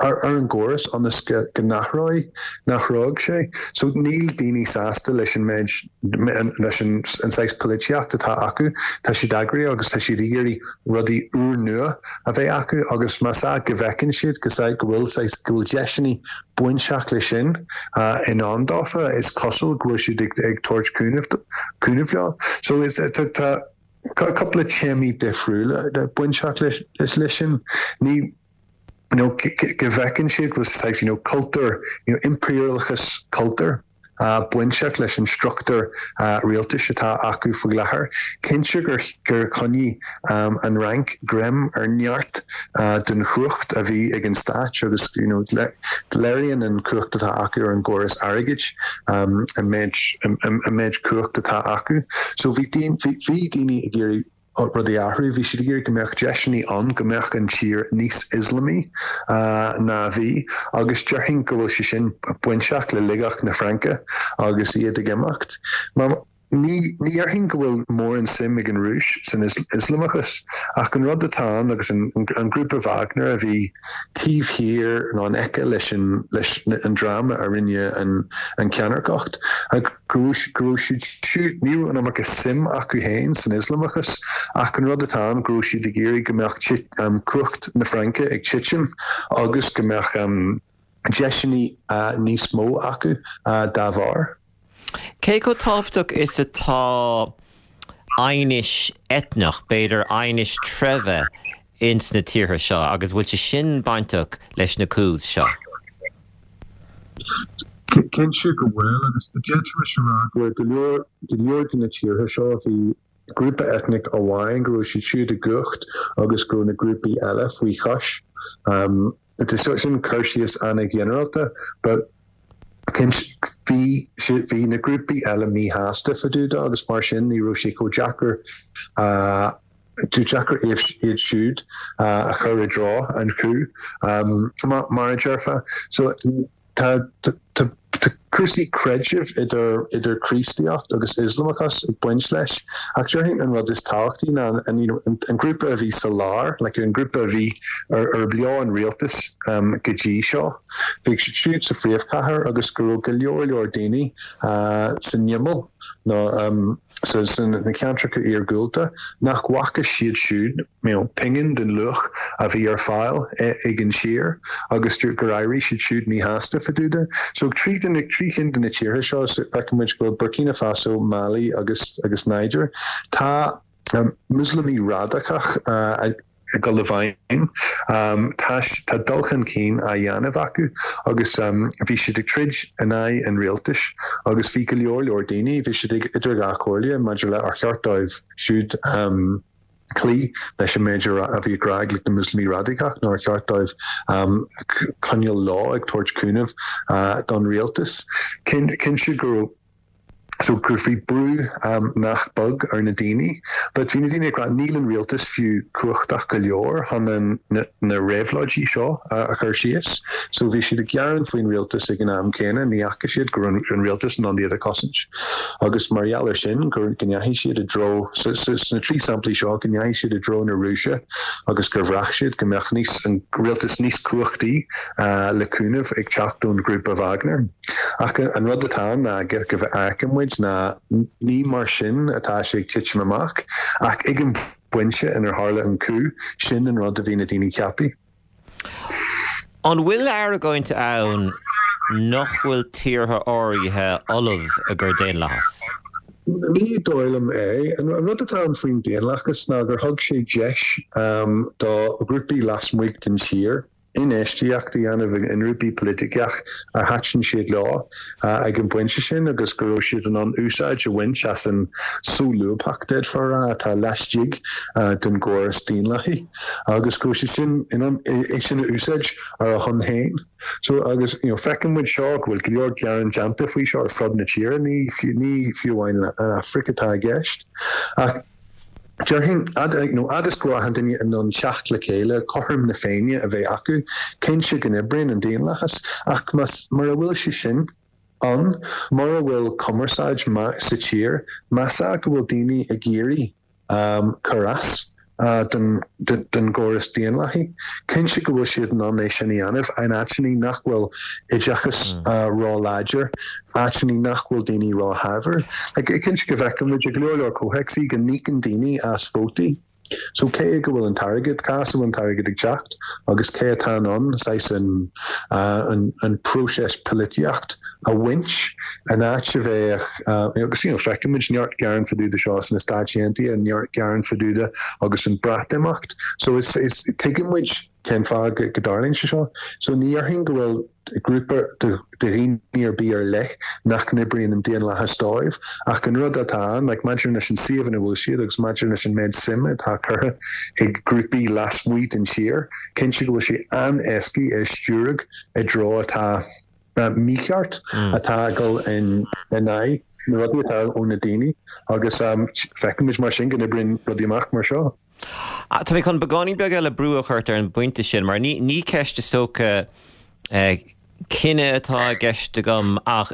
ar an gcóras ionas go n-athróidh, n-athródh sé. So níl daoine sásta leis an méid, leis an saghas polaitíocht atá acu. Tá siad eagraithe agus tá siad ag iarraidh rudaí úrnua a bheith acu agus más ea go bhfeiceann siad go go bhfuil saghas, go bhfuil deiseanna bainteach leis sin i ndán dófa, is cosúil go bhfuil siad ag ag tabhairt cúnamh, cúnamh leo. So is, tá cúpla téamaí difriúla bainteach leis sin. Ní you know, go bhfeiceann siad go bhfuil saghas, you know, cultúr, you know, impiriúlachas cultúir bainteach leis an struchtúr rialtais atá acu faoi láthair. Cinnte gur gur choinnigh an Fhrainc greim ar neart den chumhacht a bhí ag an stát agus you know, léiríonn an chumhacht atá acu ar an gcóras airgid an méid an méid cumhacht atá acu. So bhí bhí daoine ag iarraidh rudaí a athrú. Bhí siad ag iarraidh go mbeadh deiseanna ann go mbeadh an tír níos Ioslamaí ná a bhí agus déarfainn go bhfuil sé sin bainteach le ligeacht na Fraince agus iad ag imeacht. Mar ní ní dhéarfainn go bhfuil mórán suim ag an Rúis san Ioslamachas ach an rud atá ann agus an an grúpa Wagner a bhí taobh thiar nó in aice leis an leis an dream a rinne an an ceannairceacht. Go raibh siad siúd, ní raibh an iomarca suim acu féin san Ioslamachas, ach an rud atá ann, go raibh siad ag iarraidh go mbeadh cumhacht na Fraince ag titim agus go mbeadh deiseanna níos mó acu dá bharr. Cé chomh tábhachtach is atá aighnis eitneach, b'fhéidir aighnis treibhe, ins na tíortha seo agus bhfuil sé sin bainteach leis na coups seo? Cinnte go bhfuil, agus d'fhéadfaimis a rá go bhfuil go leor, go leor de na tíortha seo, bhí grúpa eitneach amháin go raibh siad siúd i gcumhacht agus go raibh na grúpaí eile faoi chois. Sin cur síos an-ghinearálta, but cinnte bhí, bhí na grúpaí eile míshásta fá dtaobh de agus mar sin ní raibh sé chomh deacair, deacair iad siúd a chur i dtreo an coup, mar a déarfá. So tá, tá, tá cúrsaí creidimh idir, idir Críostaíocht agus Ioslamachas ag baint leis ach déarfainn an rud is tábhachtaí ná an, you know, an grúpa a bhí sa lár, like an grúpa a bhí ar, arb leo an rialtas go dtí seo. Bhí siad siúd sa phríomhchathair agus go raibh go leor leor daoine san imeall nó sa sna ceantracha iargúlta nach bhfaca siad siúd you know, pingin den luach a bhí ar fáil ag an tír agus gur éirigh siad siúd míshásta fá dtaobh de. So trí de na, trí chinn de na tíortha seo feiceann muid go bhfuil Burkina Faso, Mali agus agus Niger, tá Muslamaigh radacach ag dul i bhfeidhm. Tá tá dul chun cinn á dhéanamh acu agus bhí siad ag troid in aghaidh an rialtais agus bhí go leor leor daoine, bhí siad ag idir dhá chomhairle maidir le ar cheart dóibh siúd. Cloí leis an méid a bhí ag rá ag na Muslamaigh radacach nár cheart dóibh coinneáil leo ag tabhairt cúnamh don rialtas. Cinnte go raibh so gur bhí brú nach beag ar na daoine but bhí na daoine ag rá níl an rialtas fiú cumhachtach go leor chun an na réabhlóidí seo a chur síos. So bhí siad ag gearán faoin rialtas ag an am céanna, ní fhaca siad go raibh an rialtas in ann iad a chosaint. Agus mar gheall ar sin, go ndeachaigh siad i dtreo, sna 3 samplaí seo, go ndeachaigh siad i dtreo na Rúise agus gur bhraith siad go mbeadh níos, an rialtas níos cumhachtaí le cúnamh ag teacht ón ghrúpa Wagner. Ach an rud atá ann ná go bhfeiceann muid ná ní mar sin atá sé ag titim amach ach ag an bpointe inar tharla an coup, sin an rud a bhí na daoine ag ceapadh. An bhfuil argóint ann nach bhfuil tíortha áirithe ullamh i gcomhair daonlathas? Ní dóigh liom é. An rud atá ann faoin daonlathas ná gur thug sé deis do ghrúpaí lasmuigh den tír infheistíocht a dhéanamh i ngrúpaí poiliticeach ar thaitin siad leo ag an bpointe sin agus go raibh siad in ann úsáid a bhaint as an solúbthacht, d'fhéadfá a rá, atá laistigh den gcóras daonlathaí agus go raibh siad sin in ann é sin a úsáid ar a shon féin. So agus you know feiceann muid seo go bhfuil go leor gearán déanta faoi seo ar fud na tíre, ní fiú amháin an Afraic atá i gceist ach Déarfainn, fhad is go bhfuil achan duine in ann teacht le chéile, cothrom na Féinne a bheith acu, cinnte go n-oibríonn an daonlathas, ach más, mura bhfuil sé sin ann, mura bhfuil cumarsáid maith sa tír, más ea go bhfuil daoine ag iarraidh cur as don gcóras daonlathaí, cinnte go bhfuil siad in ann é sin a dhéanamh in áiteanna nach bhfuil oideachas ró-láidir. áiteanna nach bhfuil daoine ró-shaibhir. Cinnte go bhfeiceann muid i go leor leor comhthéacsaí go n-íocann daoine as vótaí. So cé go bhfuil an t-airgead, cá as a bhfuil an t-airgead ag teacht agus cé atá in ann saghas an an próiseas polaitíocht a bhaint in áit a bheadh agus you know feiceann muid neart gearán fá dtaobh de seo sna Stáit Aontaithe, neart gearán fá dtaobh de agus an Breatimeacht. So is is tuigeann muid cén fáth go dtarlaíonn sé seo. So ní dhéarfainn go bhfuil grúpa de dhaoine ar bith ar leith nach n-oibríonn an daonlathas dóibh, ach an rud atá ann, like, maidir leis an suíomh ina bhfuil siad agus maidir leis an méid suime atá curtha ag grúpaí lasmuigh den tír, cinnte go bhfuil sé an-éascaí é a stiúradh i dtreo atá mícheart, atá ag dul in aghaidh na rudaí atá ó na daoine agus feicimid mar sin go n-oibríonn rudaí amach mar seo. Tá mé chun beagáinín beag eile brú a chur ort ar an bpointe sin, mar ní, ní ceist is dócha cine atá i gceist agam ach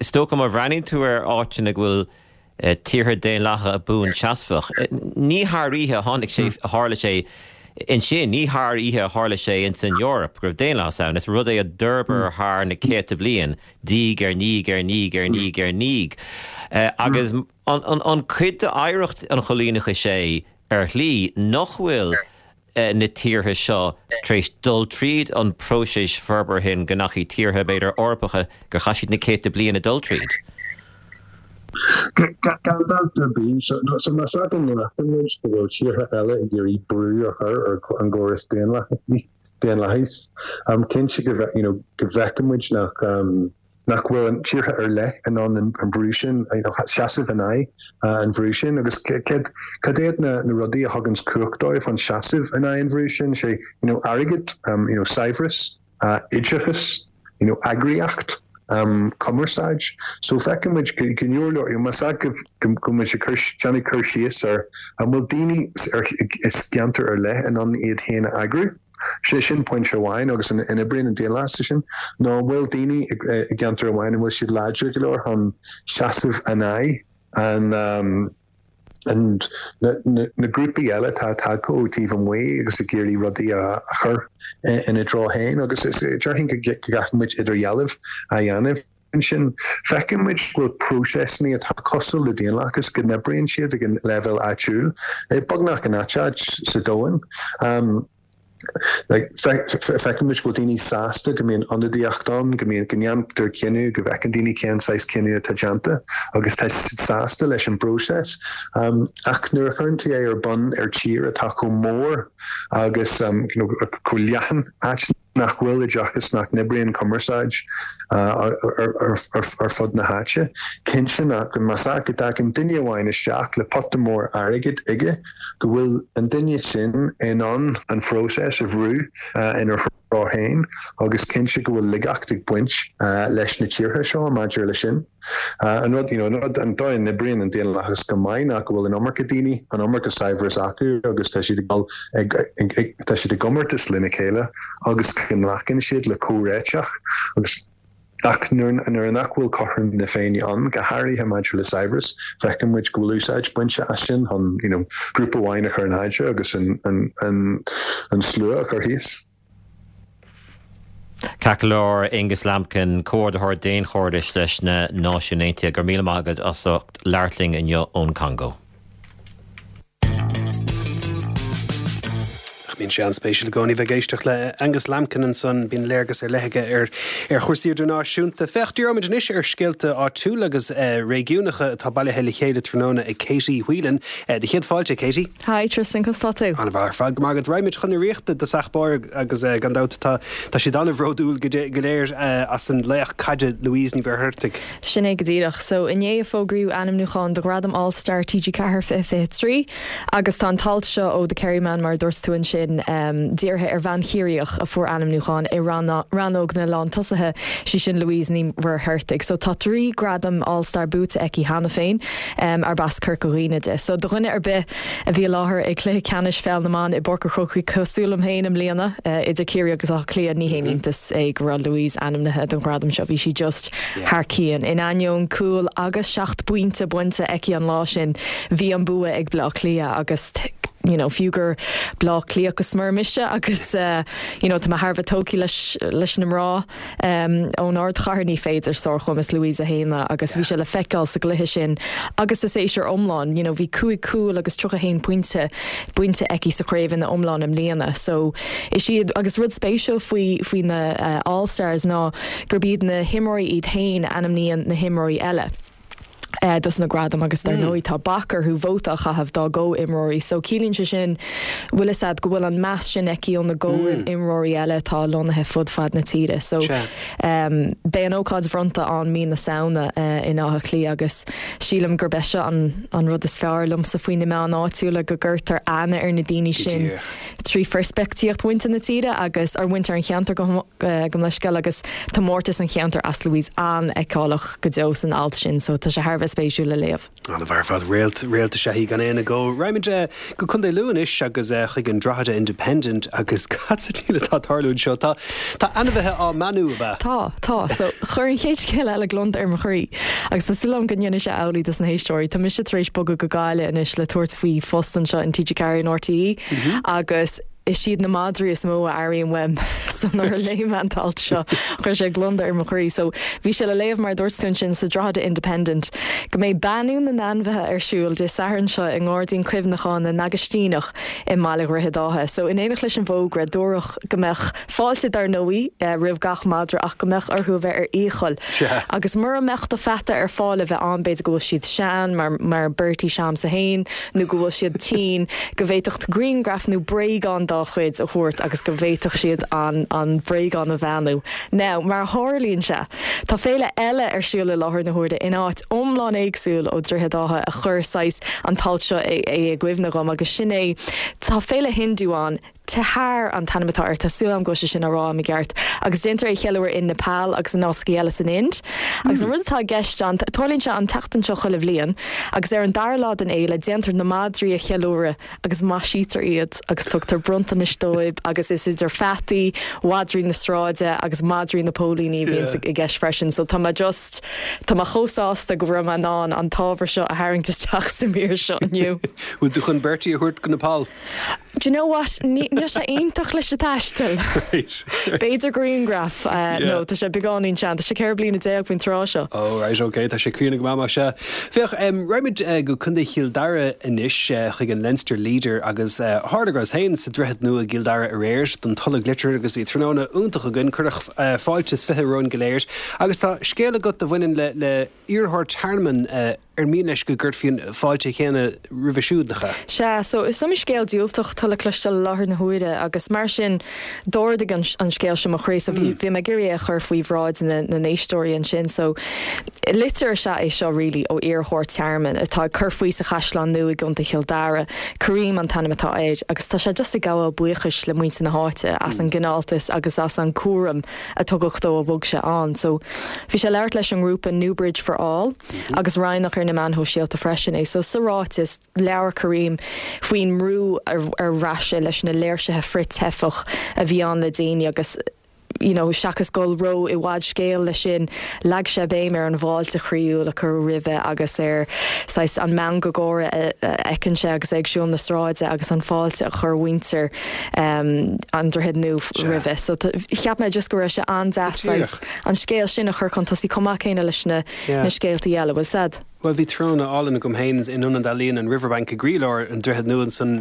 is dócha má bhreathnaíonn tú ar áiteanna go bhfuil tíortha daonlathacha buanseasmhach, ní thar oíche a tháinig sé, a tharla sé ansin, ní thar oíche a tharla sé ins an Eoraip go raibh daonlathas ann, is rud é a d'fhorbair thar na céadta bliain, diaidh ar ndiaidh ar ndiaidh ar ndiaidh ar ndiaidh. Agus. An cuid d'oidhreacht an choilíneachais é ar shlí nach bhfuil na tíortha seo tar éis dul tríd an próiseas forbartha sin go ndeachaigh tíortha, b'fhéidir, Eorpacha, gur chaith siad na céadta bliain ag dul tríd? Gan dabht ar bith. So más ea go nglacann muid go bhfuil tíortha eile ag iarraidh brú a chur ar an gcóras daonlathais, cinnte go bhfeiceann muid nach nach bhfuil an tíortha ar leith in ann an brú sin, seasamh in aghaidh an bhrú sin agus cad iad na rudaí a thuganns cumhacht dóibh chun seasamh in aghaidh an bhrú sin, sé you know airgead, you know saibhreas, oideachas, you know eagraíocht, cumarsáid. So feiceann muid go leor leor, you know más ea go bhfuil muid ag cur, déanamh cur síos ar an bhfuil daoine i gceantar ar leith in ann iad féin a eagrú. Sé sin pointe amháin agus an oibríonn an daonlathas sin nó an bhfuil daoine i gceantar amháin an bhfuil siad láidir go leor chun seasamh in aghaidh an an na grúpaí eile atá tagtha ó taobh amuigh agus ag iarraidh rudaí a chur ina dtreo féin agus déarfainn go gcaithfidh muid idirdhealú a dhéanamh. Ansin, feiceann muid go bhfuil próiseasanna atá cosúil le daonlathas, go n-oibríonn siad ag an leibhéal áitiúil, beagnach in gach áit sa domhan. Feiceann muid go bhfuil daoine sásta go mbíonn ionadaíocht ann, go mbíonn, go ndéantar cinneadh, go bhfeiceann daoine cén saghas cinneadh atá déanta agus tá siad sásta leis an bpróiseas. Ach nuair a chuireann tú é ar bun ar tír atá chomh mór agus chomh leathan, áit. Nach bhfuil oideachas, nach n-oibríonn cumarsáid ar fud na háite. Cinnte nach, más ea go dtagann duine amháin isteach le pota mór airgid aige, go bhfuil an duine sin in ann an phróiseas a bhrú ina threo féin agus cinnte go bhfuil laigeacht ag baint leis na tíortha seo maidir le sin. An rud, you know, an rud, an dóigh a n-oibríonn an daonlathas go maith ná go bhfuil an iomarca daoine, an iomarca saibhreas acu agus tá siad ag dul ag, ag, ag, tá siad i gcomórtas lena chéile agus go nglacann siad le comhréiteach agus ach nuair, nuair nach bhfuil cothrom na Féinne ann, go háirithe maidir le saibhreas, feiceann muid go bhfuil úsáid bainte as sin chun, you know, grúpa amháin a chur in airde agus an, an, an, an slua a chur thíos. Ceart go leor, Aonghus Lambkin, Comhordaitheoir Daonchairdis leis na Náisiúin Aontaithe, go raibh míle maith agat as ucht labhairt linn inniu ón Congó. Ach bíonn sé an-spéisiúil i gcónaí bheith ag éisteacht le Aonghus Lambkin ansan, bíonn léargas ar leith aige ar ar chúrsaí idirnáisiúnta. Féach, díreoimid anois ar scéalta áitiúla agus réigiúnacha atá bailithe le chéile tráthnóna ag Katie Whelan. Do chéad fáilte, Katie. Hi Tristan, conas tá tú? An-mhaith ar fad, go maith agat. Raghaimid chun na Ríochta i dtosach báire agus gan dabht tá tá siad an-bhródúil go go léir as an laoch caide Louise Ní Mhuircheartaigh. Sin é go díreach. So inné a fógraíodh ainmniúcháin do Ghradam All Star TG4 2023 agus tá an t-alt seo ó The Kerryman mar a dúirt tú ansin dírithe ar bhean Chiarraíoch a fuair ainmniúchán i rannóg na lántosaithe, sí sin Louise Ní Mhuircheartaigh. So tá 3 gradam All Star buaite aici cheana féin. arb as Corca Dhuibhne di. So do dhuine ar bith a bhí i láthair ag cluiche ceannais pheil na mban i bPáirc an Chrócaigh cosúil liom féin i mbliana, idir Ciarraí agus Áth Cliath, ní haon iontas é go raibh Louise ainmnithe don ghradam seo. Bhí sí just thar cionn. In ainneoin cúl agus 7 bpointe bainte aici an lá sin, bhí an bua ag Bleá Cliath agus you know fiú gur Bleá Cliathach go smior mise agus you know tá mé thar a bheith tógtha leis leis na mná. Ón ardchathair ní féidir sárchumas Louise a shéanadh agus bhí sé le feiceáil sa gcluiche sin agus sa séasúr iomlán. You know bhí 5 cúl agus 31 pointe bainte aici sa chraobh ina iomlán i mbliana. So is iad agus rud spéisiúil faoi faoi na All Stars ná gurb iad na himreoirí iad féin a ainmníonn na himreoirí eile. dos na gradaim agus dar ndóigh tá bac orthu vóta a chaitheamh dá gcomhimreoirí so ciallaíonn sé sin, bhfuil fhios a'd, go bhfuil an meas sin aici ó na gcomhimreoirí eile atá lonnaithe fud fad na tíre. So beidh an ócáid bhronnta ann mí na Samhna in Áth Cliath agus sílim gurb é seo an an rud is fearr liomsa faoi na meáin áitiúla, go gcuirtear aithne ar na daoine sin trí pheirspictíocht mhuintir na tíre agus, or mhuintir an cheantair gabh mo leithscéal agus tá mórtas an cheantair as Louise an-fheiceálach go deo san alt sin so tá sé thar a bheith spéisiúil le léamh. An-mhaith ar fad, réalt, réalt is ea í gan aon agó. Raghaimid go Contae Lú anois agus chuig an Drogheda Independent agus cad sa diabhal atá ag tarlú anseo? Tá, tá ainmhithe á mbeannú, ab ea? Tá, tá. So chuir an chéad scéal eile gliondar ar mo chroí agus tá súil agam go ndéanfaidh sé amhlaidh dos na héisteoirí. Tá mise tar éis bogadh go Gaillimh anois le tabhairt faoi phost anseo in TG4 in RTÉ agus is iad na madraí is mó a airím uaim so nuair a léigh mé an t-alt seo chuir sé gliondar ar mo chroí. So bhí sé le léamh mar a dúirt tú ansin sa Drogheda Independent go mbeidh beannú na n-ainmhithe ar siúl Dé Sathairn seo i nGairdín Cuimhneacháin na nAgaistíneach i mbaile Dhroichead Átha. So in éineacht leis an bhfógra dúradh go mbeadh Fáilte dar ndóigh roimh gach madra ach go mbeadh orthu a bheith ar iachall. Agus mura mbeadh do pheata ar fáil a bheith ann, b'fhéidir go bhfuil siad sean, mar mar Bertie s'a'msa fhéin, nó go bhfuil siad tinn, go bhféadfadh tú grianghraf nó bréagán dá chuid a thabhairt agus go bhféadfadh siad an an bréagán a bheannú. Now, mar a tharlaíonn sé, tá féile eile ar siúl i láthair na huaire in áit iomlán éagsúil ó Droichead Átha a chuir saghas an t-alt seo é i gcuimhne dhom agus sin é, tá féile Hindu ann, Tihar an t-ainm atá air, tá súil agam go bhfuil sé sin á rá agam i gceart, agus déantar é a cheiliúradh in Nepal agus in áiteachaí eile san Ind. Agus an rud atá i gceist ann, tarlaíonn sé an tseachtain seo chuile bhliain, agus ar an dara lá den fhéile déantar na madraí a cheiliúradh agus maisítear iad agus tugtar bronntanais dóibh agus is idir pheataí, mhadraí na sráide agus madraí na póilíní a bhíonns i gceist freisin. So tá mé just, tá mé chomh sásta go raibh mé in ann an t-ábhar seo a tharraingt isteach sa mhír seo inniu. Bhfuil tú chun Bertie a thabhairt go Nepal? Do you know what? Níl sé iontach leis an taisteal. B'fhéidir grianghraf nó tá sé beagáinín sean. Tá sé 14 bliana faoin tráth seo. Oh right, ok, tá sé críonna go maith más ea. Féach, raghaimid go Contae Chill Dara anois chuig an Leinster Leader agus tharla go rabhas féin sa Droichead Nua i gCill Dara aréir don Tolg Liteartha agus bhí tráthnóna iontach againn, cuireadh fáilte is 20 romhainn go léir agus tá scéal agat a bhaineann le le iarrthóir tearmainn. ar mian leis go gcuirfí an fáilte chéanna roimhe siúd, nach ea? Sea, so is iomaí scéal diúltach atá le cloisteáil i láthair na huaire agus mar sin d'ardaigh an an scéal seo mo chroí so bhí bhí mé ag iarraidh é a chur faoi bhráid na na n-éisteoirí ansin. So litir is ea é seo really ó iarrthóir tearmainn atá ag cur faoi sa Chaisleán Nua i gContae Chill Dara, Karim an t-ainm atá air agus tá sé just ag gabháil buíochais le muintir na háite as an gcineáltas agus as an cúram a tugadh dó ó bhog sé ann. So bhí sé ag labhairt leis an ngrúpa Newbridge for All agus roinneadh ar na meáin shóisialta freisin é. So sa ráiteas, labhair Karim faoin mbrú ar bhraith sé leis na léirsithe frith-teifeach a bhí ann le déanaí agus you know seachas dul ró i bhfad scéil leis sin, leag sé béim ar an bhfáilte chroíúil a cuireadh roimhe agus ar saghas an meangadh gáire a fheiceann sé agus é ag siúl na sráide agus an fáilte a chuir mhuintir an Droichid Nua roimhe. So cheap mé just go raibh sé an-deas saghas an scéal sin a chur chun tosaigh chomh maith céanna leis na scéaltaí eile. Bhfuil 's a'd? Bhuel, bhí tráthnóna álainn agam féin in Ionad Ealaíon an Riverbank i gcroílár an Droichid Nua ansan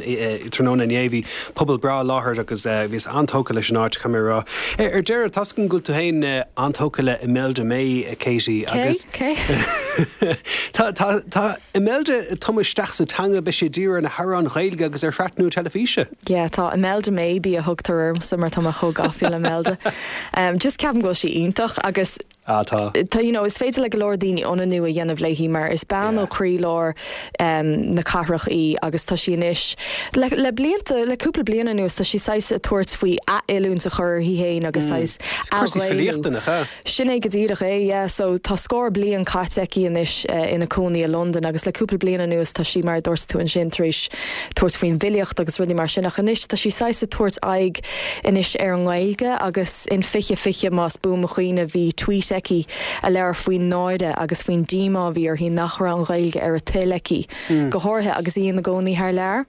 tráthnóna inné. Bhí pobal breá i láthair agus bhíos an-tógtha leis an áit, caithfidh mé a rá. Ar deireadh, tá's agam go bhfuil tú féin an-tógtha le Imelda May, Katie, agus. Cé? Cé? Tá, tá, tá Imelda ag tumadh isteach sa teanga, beidh sí ag díriú ar na hamhráin Ghaeilge agus ar shraith nua teilifíse. Yeah, tá Imelda Maybe a thugtar ormsa mar tá mé chomh gafa le Imelda. Just ceapaim go bhfuil sí iontach agus. Ah, tá. Tá, you know, is féidir le go leor daoine ionannú a dhéanamh léi mar is bean ó chroílár na cathrach í agus tá sí anois, le, le blianta, le cúpla bliain anuas, tá sí saghas ag tabhairt faoi ath-oiliúint a chur uirthi féin agus saghas Cúrsaí athghaelú. filíochta, nach ea? Sin é go díreach é, yeah. So tá scór bliain caite aici anois ina cónaí i Londain agus le cúpla bliain anuas tá sí, mar a dúirt tú ansin, tar éis tabhairt faoin bhfilíocht agus rudaí mar sin ach anois tá sí saghas ag tabhairt aghaidh anois ar an nGaeilge agus in 2020 más buan mo chuimhne bhí tweet aici a labhair faoin náire agus faoin díomá a bhí uirthi nach raibh an Ghaeilge ar a toil aici go háirithe agus í ina gcónaí thar lear.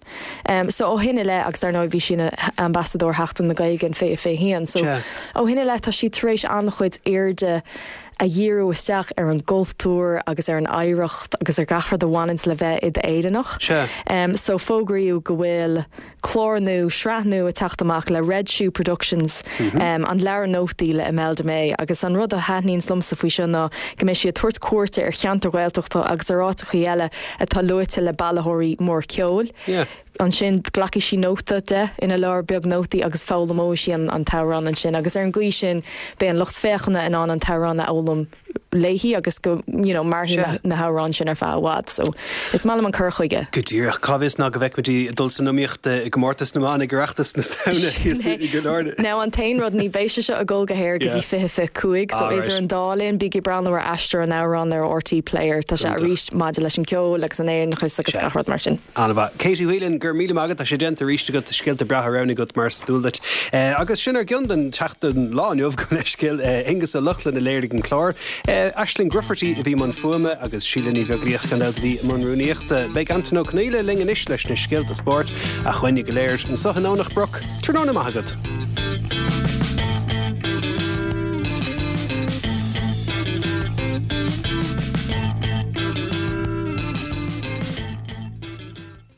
So ó shin i leith agus dar ndóigh bhí sí ina Ambasadóir Sheachtain na Gaeilge in 2021 so ó shin i leith tá sí tar éis an-chuid airde a dhíriú isteach ar an gcultúr agus ar an oidhreacht agus ar gach rud a bhaineanns le bheith i d'Éireannach. So fógraíodh go bhfuil clár nua, sraith nua ag teacht amach le Red Shoe Productions, an leabhar nótaí le Imelda May agus an rud a thaitníonns liomsa faoi seo ná go mbeidh sí ag tabhairt cuairte ar cheantair Ghaeltachta agus ar áiteachaí eile atá luaite le bailitheoirí mór ceoil. Ansin glacfaidh sí nóta de ina leabhar beag nótaí agus foghlaimeoidh sí an t-amhrán ansin agus ar an gcaoi sin beidh an lucht féachana in ann an t-amhrán a fhoghlaim léi agus go you know mairfidh na hamhráin sin ar feadh i bhfad. So is maith liom an cur chuige. Go díreach. Cá bhfios ná go bhfeicfimid í ag dul san iomaíocht i gcomórtas na mban ag Oireachtas na Samhna thíos i gCill Airne. Now an t-aon rud ní bheidh sé seo ag dul go haer go dtí 2025 so idir an dá linn bígí ag breathnú ar Aistear an Amhráin ar RTÉ Player. Tá sé arís maidir leis an gceol agus an Éireannachas agus gach rud mar sin. An-mhaith. Katie Whelan, go raibh míle maith agat. Tá sé déanta arís agat. Scéalta breátha roghnaithe agat mar is dual duit. Agus sin ár gcion don tseachtain lá inniu gabh mo leithscéal. Aonghus Ó Lochlainn a léirigh an clár. Aisling Grufferty a bhí i mbun fuaime agus Síle Ní Bheaglaoich gan dabht a bhí i mbun rúnaíochta. Beidh Antain Ó Conghaile linn anois leis na scéalta spóirt. Ach uainne go léir anseo i nDomhnach Broc, tráthnóna maith agat.